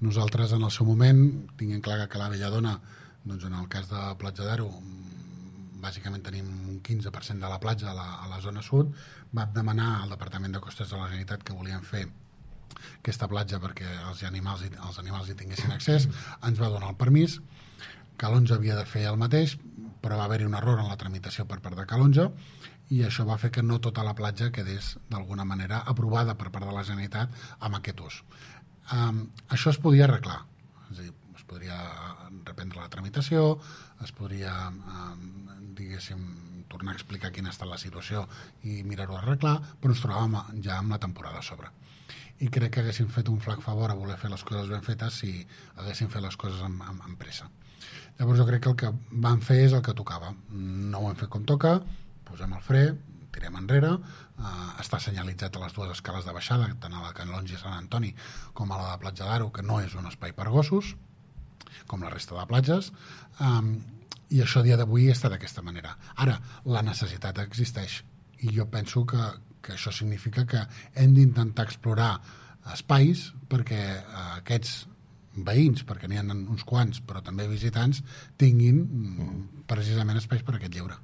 Nosaltres, en el seu moment, tinguem clar que la Belladona, doncs en el cas de Platja d'Aro, bàsicament tenim un 15% de la platja a la zona sud, vam demanar al Departament de Costes de la Generalitat que volien fer aquesta platja perquè els animals hi tinguessin accés, ens va donar el permís. Calonge havia de fer el mateix, però va haver-hi un error en la tramitació per part de Calonge i això va fer que no tota la platja quedés d'alguna manera aprovada per part de la Generalitat amb aquest ús. Això es podia arreglar, és a dir, es podria reprendre la tramitació, es podria diguéssim tornar a explicar quina ha estat la situació i mirar-ho d'arreglar, però ens trobàvem ja amb la temporada a sobre i crec que haguéssim fet un flac favor a voler fer les coses ben fetes si haguéssim fet les coses amb pressa. Llavors jo crec que el que vam fer és el que tocava, no ho hem fet com toca, posem el fre, tirem enrere, està senyalitzat a les dues escales de baixada, tant a la Canonge Sant Antoni com a la de Platja d'Aro, que no és un espai per gossos, com la resta de platges, i això a dia d'avui està d'aquesta manera. Ara, la necessitat existeix, i jo penso que això significa que hem d'intentar explorar espais perquè aquests veïns, perquè n'hi ha uns quants, però també visitants, tinguin precisament espais per a aquest lleure.